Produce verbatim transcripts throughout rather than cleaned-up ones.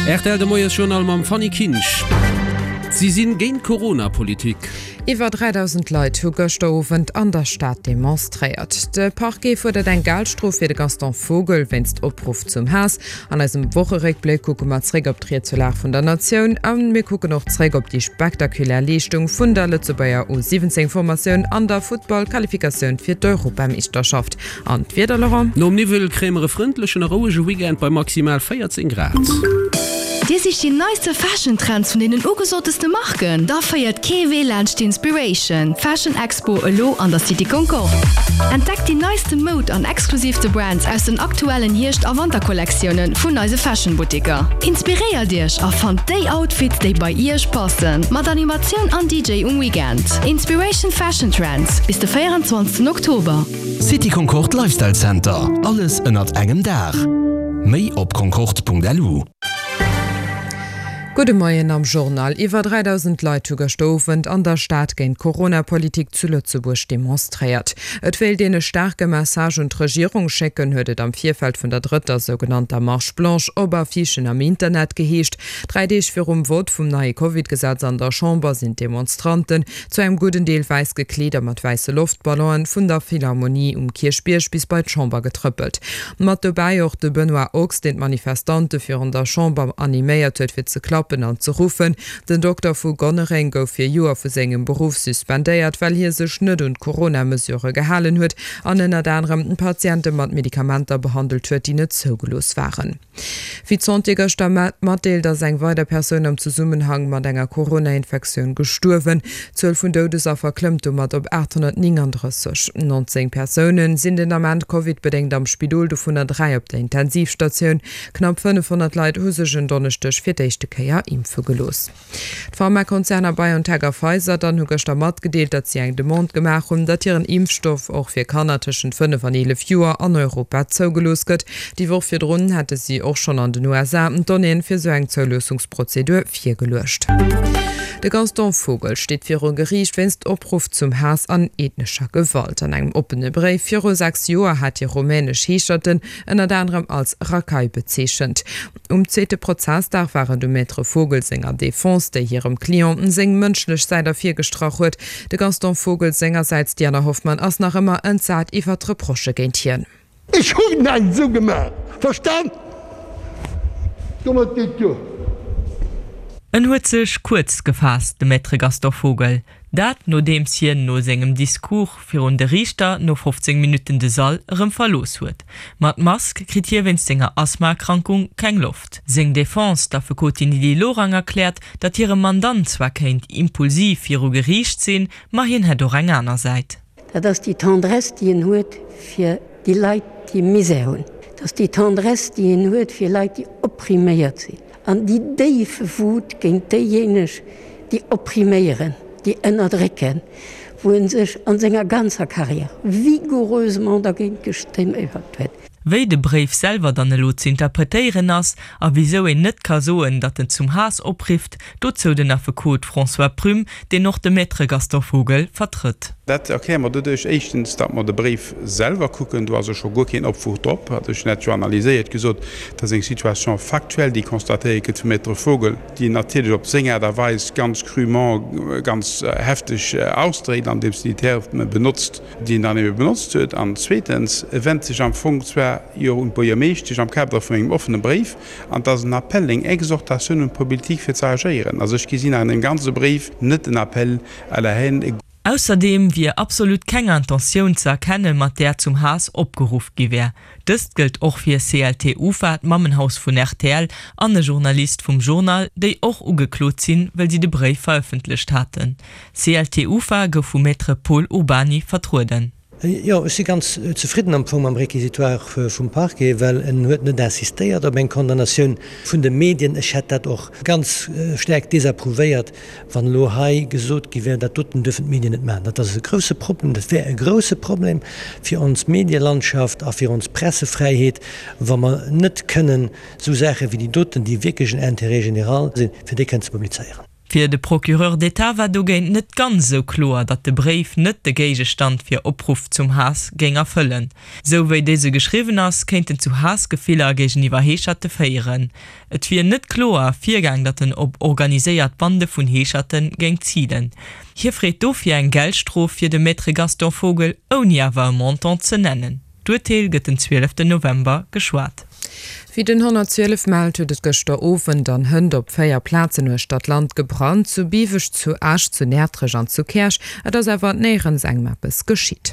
Rtl de Moiesjournal mam Fanny Kinsch. Si sinn géint d'Corona-Politik. Iwwer dräidausend Leit hu gëschter Owend an der Stad demonstréiert. De Parquet fuerdert eng Geldstrof fir de Gaston Vogel wéinst Opruff zum Haass. An eisem Wocheréckbléck kucke mer zréck op d'Ried zur Lag vun der Natioun a mir kucken och zréck op déi spektakulär Leeschtung vun der Lëtzebuerger U siwwenzéng Formatioun an der Futtball-Qualifikatioun fir d'Europameeschterschaft. An d'Wieder, Laurent? Nom Niwwel kréie mer e frëndlechen a rouege Weekend bei maximal véierzéng Grad. Dir sicht déi neiste Fashion Trends vun deenen ugesoteste Marken? Da féiert kee Wee laanscht d'Inspiration Fashion Expo elo an der City Concorde. Entdeckt déi neiste Moud an exklusiivste Brands aus den aktuellen Hierscht a Wanterkollektioune vun eise Fashion Buttiker. Inspiréiert Iech a fannt déi Outfits déi bei Iech passen. Mat Animatioun an D J um Weekend. Inspiration Fashion Trends bis de véierenzwanzegsten Oktober. City Concorde Lifestyle Center, alles ënnert engem Daach. Méi op concorde Punkt L U. Gudde Moien am Journal. Iwwer dräidausend Leit hu gëschter Owend an der Stad géint d'Corona-Politik zu Lëtzebuerg demonstréiert. Et wéilt een e staarke Message un d'Regierung schécken, huet et am Virfeld vun der drëtter sougenannter Marche blanche op Affichen am Internet geheescht. Dräi Deeg virum Vott vum neie Covid-Gesetz an der Chamber sinn d'Demonstranten, zu engem gudden Deel wäiss gekleet a mat wäisse Loftballonen, vun der Philharmonie um Kierchbierg bis bei d'Chamber getrëppelt. Mat dobäi och de Benoît Ochs, deen d'Manifestante virun der Chamber animéiert huet fir ze klappen an ze ruffen. Den Dokter vu Gonnereng gouf fir Joer vu sengem Beruff suspendéiert, well hie sech net un d'Corona-Mesurë gehalen huet an ënnert anerem Patiente mat Medikamenter behandelt huet, déi net zougelooss waren. Wéi d'Santé gëschter matdeelt, ass eng weider Persoun am Zesummenhang mat enger Corona-Infektioun gestuerwen. D'Zuel vun Doudesaffer klëmmt domat op aathonnertnénganddrësseg. Nonzéng Persoune sinn den Ament Covid-bedéngt am Spidol, dovunner dräi op der Intensivstatioun. Knapp fënnefhonnert Leit hu sech en Donneschdeg fir d'éischte Kéier impfe gelooss. D'Pharmakonzerner BioNTech a Pfizer dann hu gëschter matgedeelt, datt si eng Demande gemaach hunn, datt hiren Impfstoff och fir Kanner tëschent fënnef an eelef Joer an Europa zougelooss gëtt. Déi Woch virdrun hätte si och schonn an den U S A d'Donnéeën fir sou eng Zouloossungsprozedur virgeluecht. De Gaston Vogel steet viru Geriicht wéinst Opruff zum Haass an ethnescher Gewalt. An engem oppene Bréif viru sechs Joer hat hie rumänesch Heescherten ënnert anerem als Rakai bezeechent. Um zweete Prozessdag war et um Maître Vogel senger Defense, déi hirem Client seng mënschlech Säit ervirgestrach huet. De Gaston Vogel sengersäits, Diana Hoffmann, ass nach ëmmer entsat iwwer d'Reprochë géint hien. Ech hunn näischt esou gemaach, verstan? Domat geet duer. En huet sech kuerz gefaasst, de Maître Gaston Vogel. Dat nodeems hien no sengem Discours virun de Riichter no fofzéng Minutten de Sall erëm verlooss huet. Mat Mask kritt hie wéinst senger Asthmaerkrankung keng Loft. Seng Defense, d'Affekotin Lydie Lorang erkläert, datt hire Mandant zwar kéint impulsiv viru Geriicht sinn, ma hien hätt och eng aner Säit. Dat ass déi Tendresse, déi en huet fir déi Leit, déi Misär hunn. Dat ass déi Tendresse, déi en huet fir Leit, déi oppriméiert sinn. An déi déif Wut géint déijéineg, déi oppriméieren, déi ënnerdrécken, wou en sech an senger ganzer Carrière vigoureusement dergéint gestemméiert huet. Wéi de Bréif selwer dann elo ze interpretéieren ass a wisou een net ka soen, datt en zum Haass oprifft, dozou den Affekot François Prüm, deen och de Maître Gaston Vogel vertrëtt. Dat erkläre mer doduerch, éischtens, datt mer de Bréif selwer kucken, do ass jo scho guer keen Opruff drop, hat ech net jo analyséiert, gesot, dat ass eng Situation factuelle, déi constatéiert gëtt vum Maître Vogel, déi en natierlech op seng Aart a Weis ganz crûment, ganz hefteg ausdréckt, andeems en déi Terme benotzt, déi en dann ebe benotzt huet. An zweetens, e wennt sech am Fong zwar jo un d'Buergermeeschtesch am Kader vun engem offene Bréif, an et ass en Appel, eng Exhortatioun un d'Politik fir ze agéieren. Also ech gesinn an deem ganze Bréif net en Appel à la haine. Ausserdeem wier absolut keng Intentioun ze erkennen, mat där zum Haass opgeruff gi wär. Dëst gëllt och fir C L T Ufa, d'Mammenhaus vun R T L, an e Journalist vum Journal, déi och ugeklot sinn, well si de Bréif verëffentlecht haten. C L T Ufa gouf vum Maître Pol Urbany vertrueden. Jo, ech si ganz zefridden am Fong mam Réquisitoire vum Parquet, well en huet net insistéiert op eng Condamnatioun vun de Medien. Ech hätt dat och ganz staark desapprouvéiert, wann elo hei gesot gi wär, dat doten dürfen d'Medien net maachen. Dat ass e grouse Problem, dat wär e grouse Problem fir ons Medielandschaft a fir ons Pressefräiheet, wa mer net kënnen esou Saache wéi déi doten, déi wierklech en Intérêt général sinn, fir déi kënnen ze publizéieren. Fir de Procureur d'État war dogéint net ganz esou kloer, datt de Bréif net de Géigestand fir Opruff zum Haass géing erfëllen. Sou wéi dëse geschriwwen ass, kéint en zu Haassgefiller géigeniwwer Heescherte féieren. Et wier net kloer ervirgaang, datt en op organiséiert Bande vun Heescherte géing zilen. Hie freet dofir eng Geldstrof fir de Maître Gaston Vogel, ouni awer e Montant ze nennen. D'Urteel gëtt den zwieleften November geschwat. Wéi den honnertzwielef mellt, huet et gëschter Owend an hënt op véier Plazen uechter d'Land gebrannt, zu Biweg, zu Esch, zu Näertrech an zu Käerch. Et ass awer néierens engem eppes geschitt.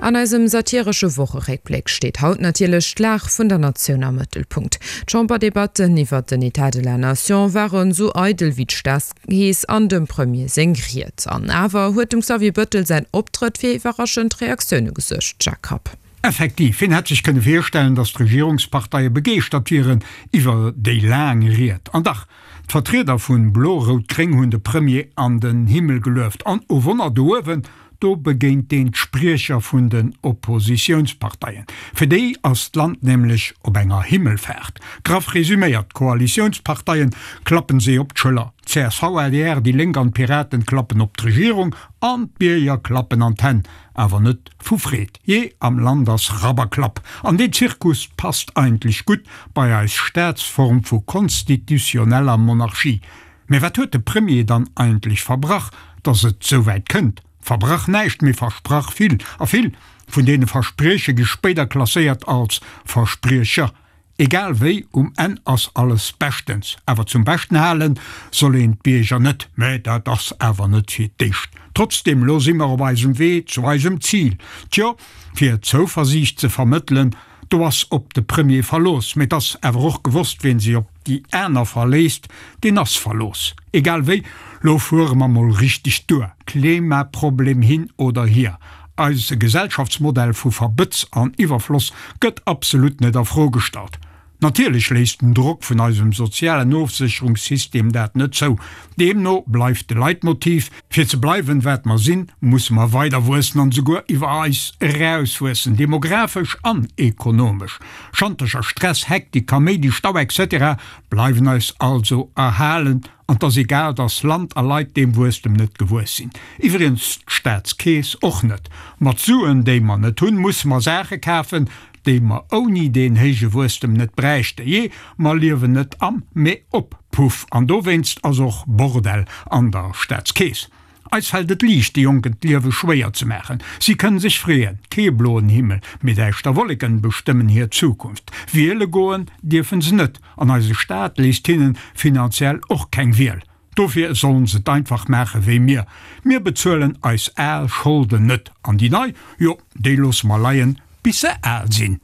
An eisem satiresche Wocheréckbléck steet haut natierlech d'Lag vun der Natioun am Mëttelpunkt. D'Chamberdebatten iwwert den État de la Nation waren esou eidel wéi d'Staatskeess an dem Premier seng Ried. An awer huet dem Xavier Bëttel säin Optrëtt fir iwwerraschend Reaktioune gesuergt, Jacques Rapp. Effektiv, wien hätt sech kënne virstellen, datt d'Regierungsparteie begeeschtert wieren iwwer déi laang Ried? An dach, d'Vertrieder vun Blo-Rout-Gréng hunn de Premier an den Himmel gelueft. An, oh Wonner, do uewen, do begéint een d'Spriecher vun den Oppositiounsparteien. Fir déi ass d'Land nämlech op enger Himmelfaart. Graff resuméiert, d'Koalitiounsparteien klappen si op d'Schëller, csv, adr, déi Lénk an d'Piraten klappen op d'Regierung an d'Bierger klappen an d'Hänn. Awer net vu Freed. Jee, am Land ass Rabberklapp. An deen Zirkus passt eigentlech gutt bei eis Staatsform vu konstitutioneller Monarchie. Mä wat huet de Premier dann eigentlech verbrach, dass et souwäit kënnt? Verbrach näischt, mee versprach vill. A vill vun deene Versprieche gi spéider klasséiert als Verspriecher. Egal wéi, um Enn ass alles beschtens. Awer zum Beschten halen soll een d'Bierger net. Mä dat ass awer net fir d'éischt. Trotzdem, lo si mer op eisem Wee zu eisem Zil. Tjo, fir Zouversiicht ze vermëttelen, do ass op de Premier Verlooss. Mä et ass awer och gewosst, wien sech op déi aner verléisst, deen ass verlooss. Egal wéi, lo fuere mer mol richteg duer, Klimaproblem hin oder hier. Eise Gesellschaftsmodell vu Verbëtz an Iwwerfloss gëtt absolut net a Fro gestallt. Natierlech léisst den Drock vun eisem sozialen Ofsécherungssystem dat net zou. Deemno bleift de Leitmotiv, Fir ze bleiwen, wat mer sinn, musse mer weider wuessen an esouguer iwwer eis erauswuessen, demografesch an ekonomesch. Schantercher, Stress, Hektik, Kaméidi, Stau etc. Bleiwen eis also erhalen. An 't ass egal, dass Land a Leit deem Wuesstem net gewuess sinn. Iwwregens d'Staatskeess och net. Mat Suen, déi mer net hunn, musse mer Saache kafen, déi mer ouni deen héije Wuesstem net bräichten. Jee, mer liewen net am, mee op Puff. An dowéinst ass och Bordell an der Staatskeess. Eis fält et liicht, de Jonken d'Liewe schwéier ze maachen. Si kënnen sech freeën, kee bloen Himmel, mee däischter Wolleken bestëmmen hir Zukunft. Wiele goen dierfen se net, an eise Staat léisst hinnen finanziell och keng Wiel. Dofir sollen se et einfach maache wéi mir, mir bezuelen eis al Scholden net, an déi nei, jo, déi loosse mer leien, bis se al sinn.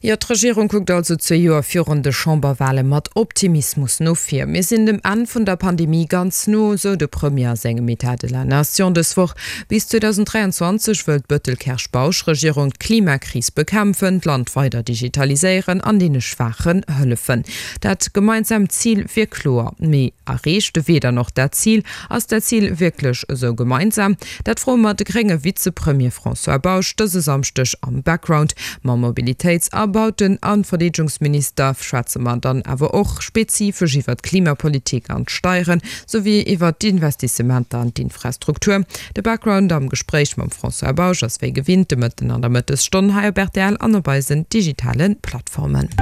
Jo, d'Regierung kuckt also zwee Joer virun de Chamberwale mat Optimismus no vir. Mir sinn dem Enn vun der Pandemie ganz no, sou de Premier a sengem État de la Nation dës Woch. Bis zweedausenddräianzwanzeg wëll d'Bëttel-Kersch-Bausch-Regierung d'Klimakris bekämpfen, d'Land weider digitaliséieren an deene Schwaachen hëllefen. Dat gemeinsaamt Zil wier kloer. Mee erreecht de Wee dann och dat Zil? Ass dat Zil wierklech esou gemeinsam? Dat froe mer de grénge Vizepremier François Bausch dëse Samschdeg am Background. Mam Mobilitéits a Bauten a Verdeedegungsminister schwätze mer dann awer och spezifesch iwwer d'Klimapolitik an d'Steieren, souwéi iwwer d'Investissementer an d'Infrastruktur. De Background am Gespréich mam François Bausch ass wéi gewinnt de Mëtten an der Mëttesstonn hei op rtl an op eisen digitale Plattformen.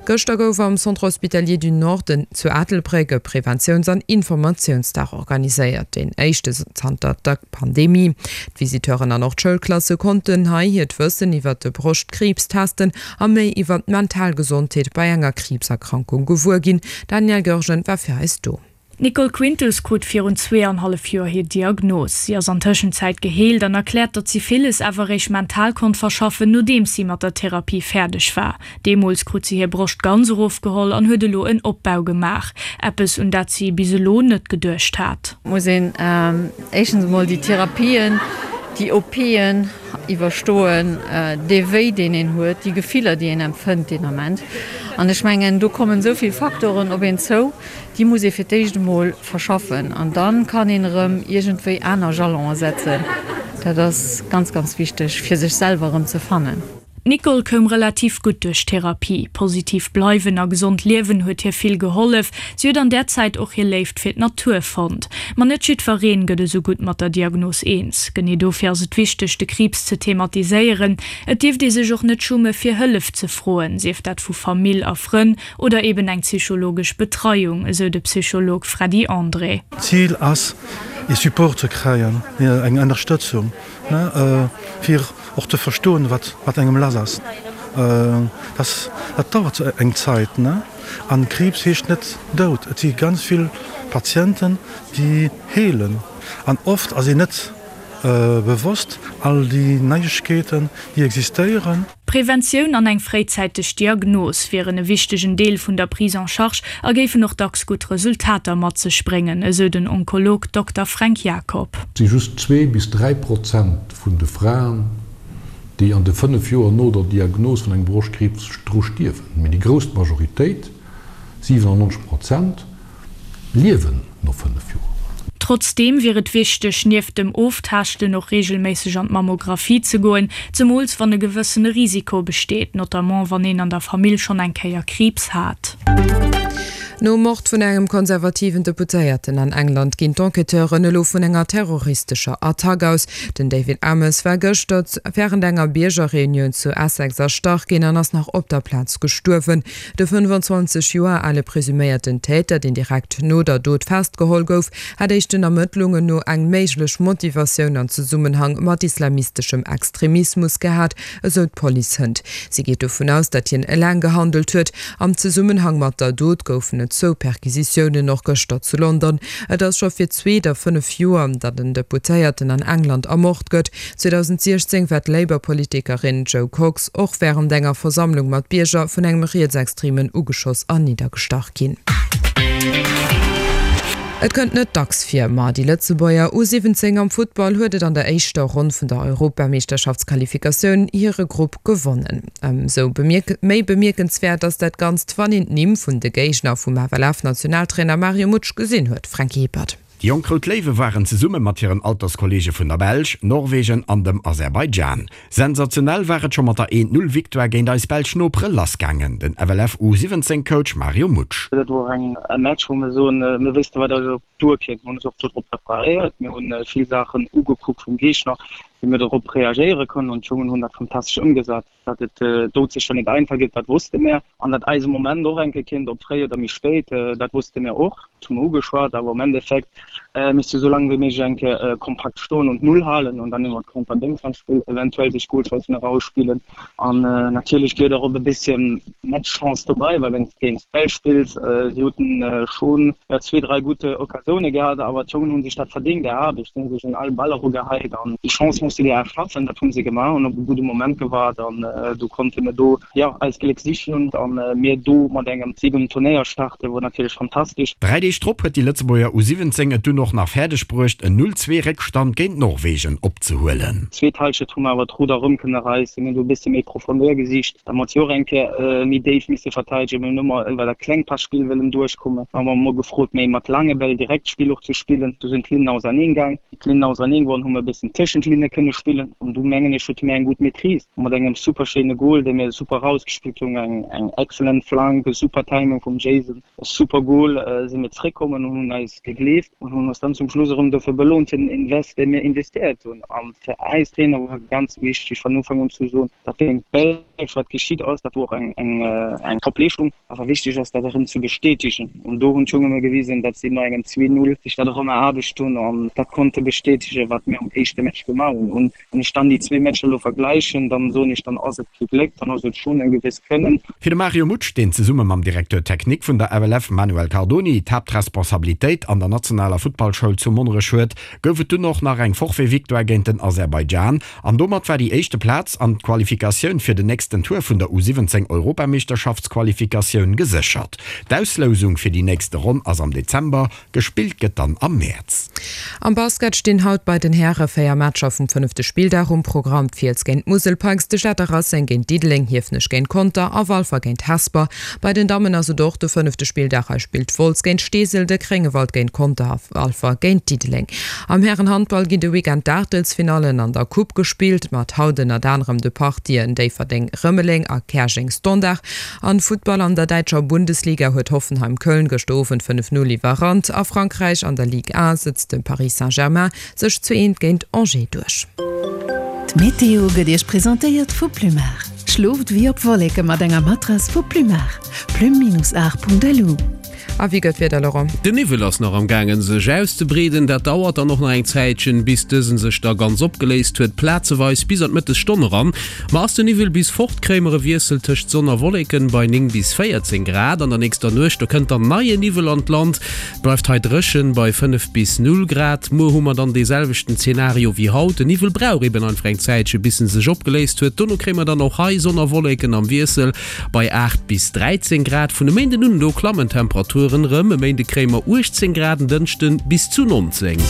Gëschter gouf am Centre Hospitalier du Nord zu Ettelbréck e Preventiouns an Informatiounsdag organiséiert, deen éischte zanter der Pandemie. D'Visiteuren an och d'Schoulklasse konnten hei hiert Wëssen iwwert de Broschtkriibs testen a méi iwwert d'mental Gesondheet bei enger Kriibserkrankung gewuer ginn. D'Danièle Goergen war fir eis do. D'Nicole Quintels krut virun zwee an hallef Joer hir Diagnos. Si ass an Tëschenzäit geheelt an erkläert, datt si villes awer eréischt mental konnt verschaffen, nodeems si mat der Therapie fäerdeg war. Deemools krut si hir Broscht ganz erofgeholl an huet elo en Opbau gemaach. Eppes, un dat si bis elo net geduecht hat. Muss een éischtens emol déi Therapien, déi OPen iwwerstoen, dee Wéi, deen een huet, déi Gefiller, déi een empfënnt deen Ament. An ech mengen, do kommen esou vill Faktoren op een zou. Déi muss ee fir d'éischt emol verschaffen an da kann een erëm iergendwéi aner Jalonen setzen. Dat ass ganz, ganz wichteg, fir sech selwer erëm ze fannen. D'Nicole koum relativ gutt duerch d'Therapie. Positiv bleiwen a gesond liewen huet hir vill gehollef. Si huet an där Zäit och hir Léift fir d'Natur fonnt. Ma net jiddwereen gëtt esou gutt mat der Diagnos eens. Genee dofir ass et wichteg, de Kriibs ze thematiséieren. Et dierft ee sech och net schumme fir Hëllef ze froen, sief dat vu Famill a Frënn oder eben eng psychologesch Betreiung, esou de Psycholog Freddy André. D'Zil ass, ee Support ze kréien, eng Ënnerstëtzung, fir och ze verstoen, wat engem lass ass. Dat dauert eng Zäit. An Kriibs heescht net Doud. Et si ganz vill Patienten, déi heelen. An oft ass een net bewosst, all déi Neiegkeeten, déi existéieren. Preventioun an eng fréizäiteg Diagnos wieren e wichtegen Deel vun der Prise en charge a géifen och dacks gutt Resultater mat sech bréngen, esou den Onkolog Dokter Fränk Jacob. Et si just zwee bis dräi Prozent vun de Fraen, déi an de fënnef Joer no der Diagnos vun engem Broschtkriibs dru stierwen, mee déi grouss Majoritéit, siwenannonzeg Prozent, liewen no fënnef Joer. Trotzdeem wier et wichteg, nieft dem Oftaaschten och reegelméisseg an d'Mammographie ze goen, zemools wann e gewëssene Risiko besteet, notamment wann een an der Famill schonn eng Kéier Kriibs hat. Nom Mord vun engem konservativen Deputéierten an England ginn d'Enquêteuren elo vun enger terroristescher Attack aus. Den David Amess war gëschter wärend enger Biergerreunioun zu Essex erstach ginn an ass nach op der Plaz gestuerwen. De fënnefenzwanzeg Joer ale presuméierten Täter, deen direkt no der Dot festgeholl gouf, hat éischten Ermëttlungen no eng méiglech Motivatioun an Zesummenhang mat islamisteschem Extremismus gehat, esou d'Police hënt. Si geet dovun aus, datt hien eleng gehandelt huet. Am Zesummenhang mat der Dot goufen et zwou Perquisitiounen, och gëschter zu London. Et ass scho fir d'zweet a fënnef Joer, datt en Deputéierten an England ermort gëtt. zweedausendsiechzéng war d'Labour-Politikerin Jo Cox och wärend enger Versammlung mat Bierger vun engem Rietsextremen ugeschoss an niddergestach ginn. Et kënnt net dacks vir, ma déi Lëtzebuerger U siwwenzéng am Futtball huet et an der éischter Ronn vun der Europameeschterschaftsqualifikatioun hire Grupp gewonnen. Ëmsou méi bemierkenswäert ass dat Ganzt, wann een d'Nimm vun de Géigner vum F L F-Nationaltrainer Mario Mutsch gesinn huet, Franky Hippert. Déi jonk Rout Léiwe waren zesumme mat hiren Alterskolleege vun der Belsch, Norwegen an dem Aserbaidschan. Sensationell war et scho mat der eent Null Victoire géint eis belsch Nopere lassgaangen. Den F L F U siwwenzéng Coach Mario Mutsch. Dat wor eng e Match wou mir soen, mir wéisste wat eis op duerkënnt. Mir hunn eis och do drop preparéiert, mir hunn vill Saachen ugekuckt vum Géigner, wéi mir dorop reagéiere kënnen an d'Jongen hunn dat fantastesch ëmgesat. Datt et doudsécher net einfach gëtt, dat wosste mir an datt eise Moment och enke kinnt, ob fréi oder méi spéit, dat wosste mir och. Dat hu mir ugeschwat, awer am Endeffekt misst du sou laang wéi méiglech enke kompakt stoen und d'Null halen und dann iwwer d'Konter-Déngshandspill eventuell sech Golchancen erausspillen. An natierlech geet och e bësschen Matchchance dobäi, well wann s de géint d'Belsch spills, si haten schonn zwee, dräi gutt Occasioune gehat, awer d'Jongen hu sech dat verdéngt erarbecht, si hu sech un all Ball erugehäit an déi Chance muss du dir erschaffen. Dat hu se gemaach an op e gudde Moment gewaart an du konnte mir do jo eist Gléck sichen an mir do mat engem Sig um Turnéier starten, wor natierlech fantastesch. Dräi Deeg drop huet déi Lëtzebuerger U siwwenzéng et dunn och nach fäerdeg bruecht en Null Zwee Réckstand géint Norwegen opzehuelen. Zweet Halschent hu mer awer d'Rudder erëm kënne reissen, mir hunn do e bësse méi Profondeur gesicht, da mer jo och eng Kéier méi déif misse verteidegen. Mir hunn ëmmer iwwer dat klengt Passpill wëllen duerchkommen, da hu mer emol gefrot méi mat laange Bäll direkt d'Spill och ze spillen. Do sinn d'Linnen auserneen gaang. Wéi d'Linnen auserneen goen, hu mer e bëssen tëschent d'Linne kënne spillen an do mengen ech hate mir eng gutt Maîtrise mat engem super schéine Goal, dee mir super erausgespillt hunn, eng eng excellent Flank, e super Timing vum Jason, e super Goal, si mir zréckkommen an hunn eis gegleeft an hunn eis dann zum Schluss erëm dofir belount fir den Invest, dee mir investéiert hunn. A fir eis Trainer war et ganz wichteg vun Ufank un ze soen, dat géint d'Belsch wat geschitt ass, dat wor och eng eng eng Top-Leeschtung, awer wichteg ass dat erëm ze bestätegen. An do hunn d'Jonge mir gewisen, datt si no engem zwee Null sech dat erëm eraarbecht hunn an dat konnte bestätegen, wat mir am éischte Match gemaach hunn. Un wann ech dann déi zwee Matcher elo vergläichen, dann soen ech, dann ass et kee Gléck, dann ass et schonn e gewësst Kënnen. Fir de Mario Mutsch, deen zesumme mam Directeur technique vun der F L F Manuel Cardoni d'Haaptresponsabilitéit an der nationaler Futtballschoul zu Monnerech huet, gouf et dunn och nach eng Forfait-Victoire géint den Aserbaidschan an domat war déi éischte Plaz an d'Qualifikatioun fir den nächsten Tour vun der U siwwenzéng Europameeschterschaftsqualifikatioun geséchert. D'Auslousung fir déi nächste Ronn ass am Dezember, gespillt gëtt dann am Mäerz. Am Basket stinn haut bei den Häre véier Matcher vum fënnefte Spilldag um Programm, D'Fiels géint d'Musel Pikes, de Stater Racing géint Diddeleng, Hiefenech géint Conter a Walfer géint Hesper. Bei den Dammen ass et och de fënnefte Spilldag, hei spillt Wolz géint Steesel, de Gréngewald géint Conter a Walfer géint Diddeleng. Am Härenhandball ginn de Weekend d'Aachtelsfinallen an der Coupe gespillt, mat haut ënnert anerem de Partien Déifferdeng-Rëmeleng a Käerjeng-Standard. Am Futtball an der däitscher Bundesliga huet Hoffenheim Köln gëschter Owend fënnef Null iwwerrannt. A Frankräich an der Ligue un setzt de Paris Saint-Germain sech zwee eent géint Angers duerch. D'Meteo gëtt Iech presentéiert vu Plumar. Schlooft wéi op Wolleke mat enger Matrass vu Plumar. Plume-art.lu. A wéi gëtt d'Wieder, Laurent? Den Niwwel ass nach am gaangen sech auszebreeden. Dat dauert dann och nach eng Zäitchen, bis dësen sech da ganz opgeléist huet, plazeweis bis an d'Mëttesstonn eran. Ma ass den Niwwel bis fort, kréie mer e Wiessel tëscht Sonn a Wolleken bei néng bis véierzéng Grad. An der nächster Nuecht, do kënnt dann neie Niwwel an d'Land. Et bleift hei dréchen bei fënnef bis null Grad. Muer hu mer dann dee selwechten Zenario wéi haut. Den Niwwel brauch eben einfach eng Zäitchen, bis en sech opgeléist huet. Dono kréie mer dann och hei Sonn a Wolleken am Wiessel bei aacht bis dräizéng Grad. Vun e Méinden un, do klammen d'Temperaturen rëm. E Méinde kréie mer uechtzéng Grad, en Dënschden bis zu nonzéng.